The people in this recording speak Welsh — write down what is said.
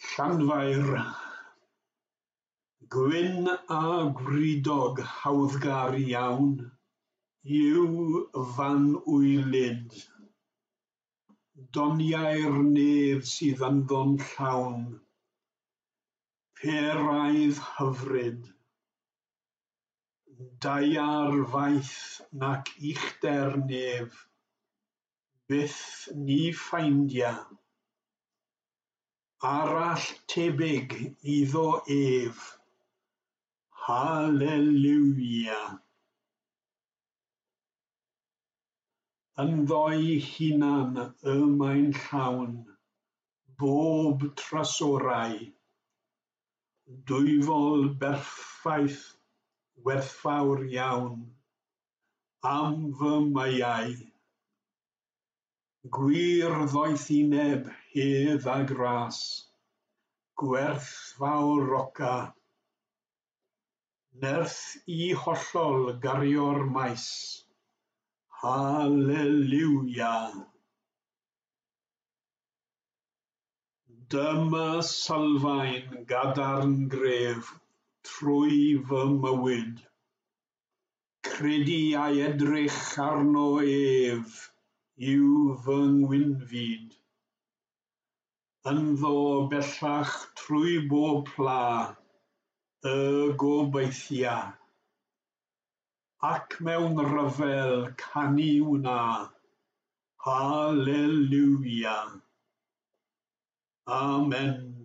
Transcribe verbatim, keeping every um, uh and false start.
Llanfair. Gwyn a gwridog hawddgar iawn yw f'anwylyd. Doniau'r nef sydd ynddo'n llawn, peraidd hyfryd. Daear faith nac uchder nef, byth ni ffeindia. Arall tebyg iddo ef. Haleliwia! Ynddo'i hunan y mae'n llawn, bob trysorau. Dwyfol berffaith werthfawr iawn, am fy meiau. Gwir ddoethineb, hedd a gras, gwerthfawroca. Nerth i hollol gario'r maes. Haleliwia! Dyma sylfaen gadarn gref trwy fy mywyd. Credu a'i edrych arno ef yw fy ngwynfyd. Ynddo bellach trwy bob pla y gobeithia. Ac mewn rhyfel canu wna. Haleliwia! Amen.